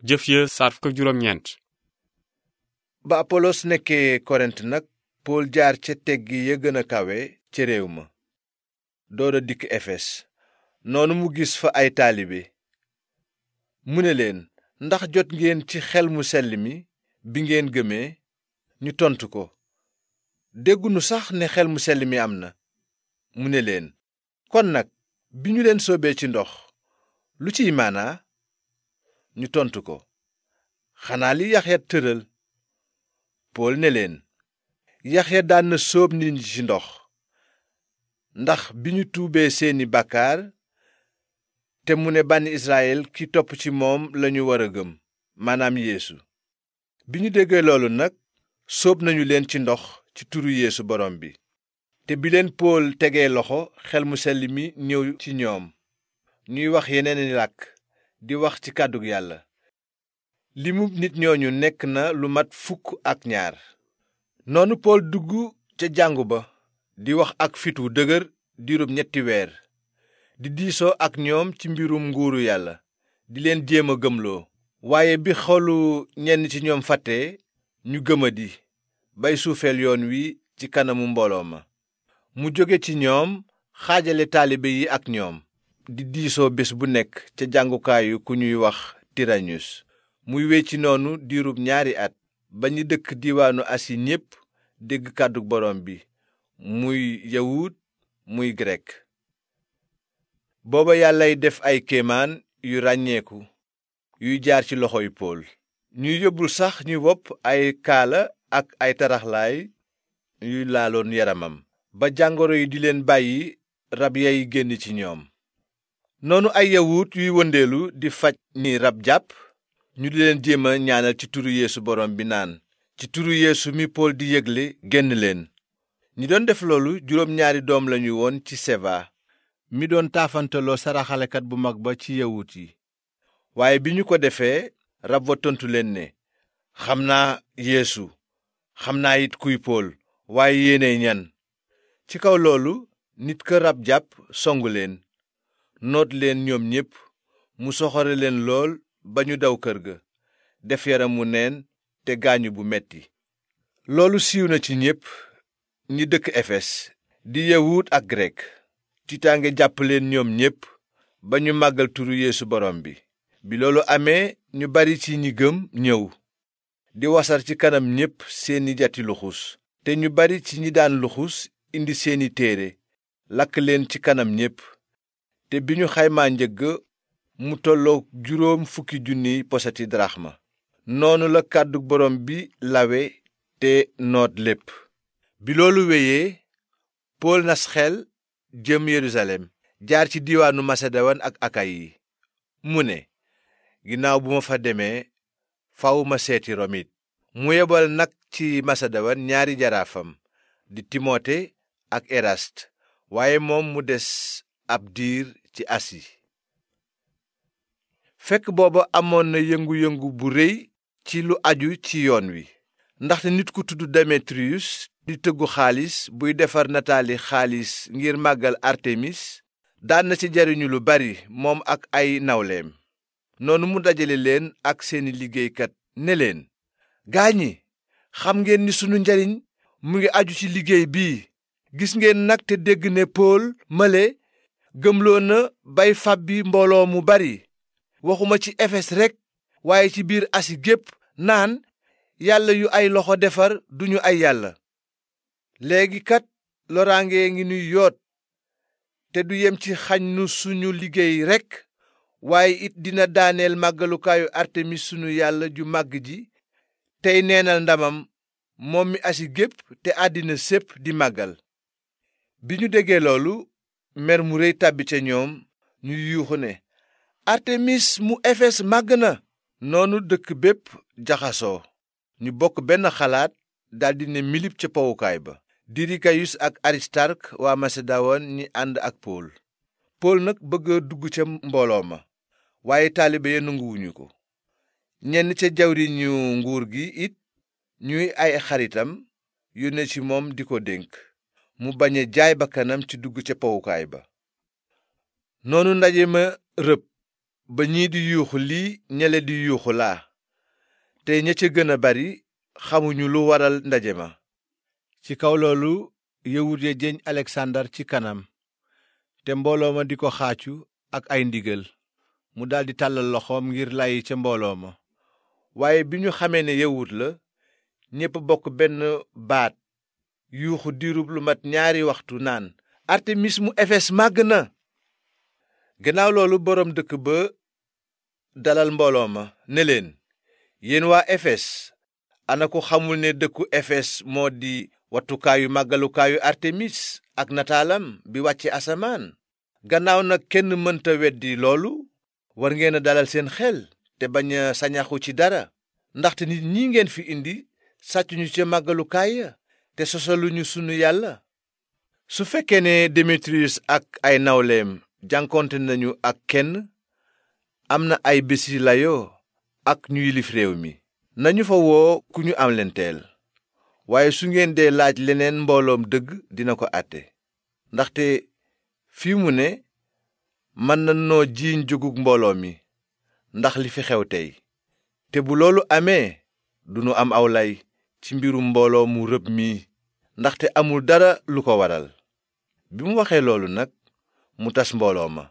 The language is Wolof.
jëf ya saar fukk ak juróom ñeent. ba apolos nekkee korent nag pool jaar ca teggi ya gën a kawe ca réew ma door a dikk efes noonu mu gis fa ay taalibe mu ne leen ndax jot ngeen ci xel mu sell mi bi ngeen gëmee ñu tontu ko déggunu sax ne xel mu sell mi am na mu ne leen kon nag bi ñu leen soobee ci ndox lu ciy maanaa ñu tontu ko xanaa li Yaxya tëral pool ne leen Yaxya daan na sóob nit ñi ci ndox ndax bi ñu tuubee seeni bàkkaar te mu ne bànni Israyil ki topp ci moom lañu war a gëm maanaam Yeesu bi ñu déggee loolu nag sóob nañu leen ci ndox ci turu Yeesu borom bi te bi leen pool tegee loxo xel mu sell mi ñëw ci ñoom ñuy wax yeneeni làkk di wax ci kàddug yàlla limu nit ñooñu nekk na lu mat 12. noonu pool dugg ca jàngu ba di wax ak fit wu dëgër diirub 3 weer di diisoo ak ñoom ci mbirum nguuru yàlla di leen jéem a gëmloo waaye bi xolu ñenn ci ñoom fàttee ñu gëmadi bay suufeel yoon wi ci kanamu mbooloo ma mu jóge ci ñoom xaajale taalibe yi ak ñoom di diisoo bés bu nekk ca jàngukaayu ku ñuy wax Tirañus muy wéy ci noonu diirub 2 at ba ñi dëkk diiwaanu Asi ñépp dégg kàddu borom bi muy yawut muy grek booba yàllay def ay kéemaan yu ràññeeku yuy jaar ci loxoy pool ñuy yóbbul sax ñu wopp ay kaala ak ay taraxlaay yuy laaloon yaramam ba jàngoro yi di leen bàyyi rab yay génn ci ñoom noonu ay yawut yuy wëndeelu di faj ni rab jàpp ñu di leen jéem a ñaanal ci turu Yeesu borom bi naan ci turu Yeesu mi pool di yégle génn leen ñi doon def loolu 2 doom lañu woon ci seva mi doon taafantaloo saraxalekat bu mag ba ci yawut yi waaye bi ñu ko defee rab wa tontu leen ne xam naa Yeesu xam naa it kuy pool waaye yéenay ñan ci kaw loolu nit ka rab jàpp songu leen noot leen ñoom ñépp mu soxore leen lool ba ñu daw kër ga def yaram wu neen te gaañu bu metti loolu siiw na ci ñépp ñi dëkk efes di yawut ak grek tiitaange jàpp leen ñoom ñépp ba ñu màggal turu Yeesu borom bi bi loolu amee ñu bari ci ñi gëm ñëw di wasar ci kanam ñépp seeni jati luxus te ñu bari ci ñi daan luxus indi seeni téere lakk leen ci kanam ñépp te bi ñu xaymaa njëgg mu tollook 50,000 posati daraxma noonu la kàddu borom bi lawe te noot lépp bi loolu wéyee pool nas xel jëm Yerusalem jaar ci diiwaanu Maseduwaan ak Akayi mu ne ginnaaw bu ma fa demee faw ma seeti Rom it mu yebal nag ci Maseduwaan 2 jaraafam di Timote ak Erast waaye moom mu des ab diir ci Asi fekk booba amoon na yëngu-yëngu bu réy ci lu aju ci yoon wi ndaxte nit ku tudd Demetriyus di tëggu xaalis buy defar nataali xaalis ngir màggal Artemis daan na ci jariñu lu bari moom ak ay nawleem noonu mu dajale leen ak seeni liggéeykat ne leen gaañi xam ngeen ni sunu njariñ mu ngi aju ci liggéey bii gis ngeen nag te dégg ne Pool male gëmloo na bay fàbbi mbooloo mu bari waxuma ci Efes rekk waaye ci biir Asi gépp naan yàlla yu ay loxo defar duñu ay yàlla léegi kat loraange ngi nuy yoot te du yem ci xañ nu suñu liggéey rekk waaye it dina daaneel màggalukaayu Artemis sunu yàlla ju màgg ji tey neenal ndamam moom mi Asi gépp te àddina sépp di màggal bi ñu déggee loolu mer mu réy tàbbi ca ñoom ñu yuuxu ne Artemis mu Efes màgg na noonu dëkk bépp jaxasoo ñu bokk benn xalaat daldi ne milip ca powukaay ba Dirikayus ak Aristark waa Maseduwaan ñi ànd ak Pool nag bëgg a dugg ca mbooloo ma waaye taalibe ya nanguwuñu ko ñenn ca jawriñu nguur gi it ñuy ay xaritam yónne ci moom di ko dénk mu bañ a jaay bakkanam ci dugg ca powukaay ba noonu ndaje ma rëb ba ñii di yuuxu lii ñele di yuuxu laa te ña ca gën a bari xamuñu lu waral ndaje ma. ci kaw loolu yawut ya jeñ Alexandar ci kanam te mbooloo ma di ko xaacu ak ay ndigal mu daldi tàllal loxoom ngir lay ca mbooloo ma. waaye bi ñu xamee ne yawut la ñépp bokk benn baat yuuxu diirub lu mat 2 waxtu naan artemis mu efes màgg na. gannaaw loolu boroom dëkk ba dalal mbooloo ma ne leen, yéen waa efes ana ku xamul ne dëkku efes moo di wattukaayu màggalukaayu artemis ak nataalam bi wàcce asamaan. gannaaw nag kenn mënta weddi loolu, war ngeen a dalal seen xel te bañ a sañaxu ci dara, ndaxte nit ñi ngeen fi indi sàccuñu ca màggalukaay ya te sosaluñu sunu yàlla. su fekkee ne Démétrius ak ay nawleem jànkonte nañu ak kenn, am na ay bési layoo ak ñu yilif réew mi, nañu fa woo ku ñu am lenteel. waaye su ngeen dee laaj leneen mbooloom dëgg dina ko àtte, ndaxte fii mu ne mën na noo jiiñ jógug mbooloo mi ndax li fi xew tey. te bu loolu amee duñu am aw lay ci mbirum mbooloo mu rëb mii, ndaxte amul dara lu ko waral. bi mu waxee loolu nag mu tas mbooloo ma.